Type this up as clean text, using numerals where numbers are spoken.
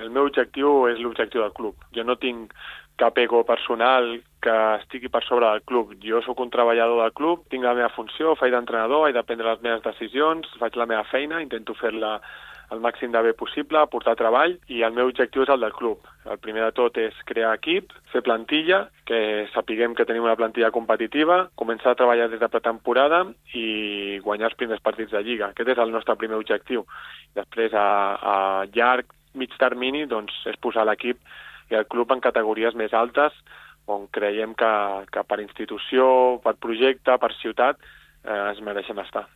el meu objectiu és l'objectiu del club. Jo no tinc cap ego personal que estigui per sobre del club. Jo sóc un treballador del club, tinc la meva funció, faig d'entrenador, he de prendre les meves decisions, faig la meva feina, intento fer-la el màxim de bé possible, aportar treball, i el meu objectiu és el del club. El primer de tot és crear equip, fer plantilla, que sapiguem que tenim una plantilla competitiva, començar a treballar des de pretemporada i guanyar els primers partits de Lliga. Aquest és el nostre primer objectiu. Després, a llarg, mig termini, doncs, és posar l'equip i el club en categories més altes, on creiem que per institució, per projecte, per ciutat, es mereixen estar.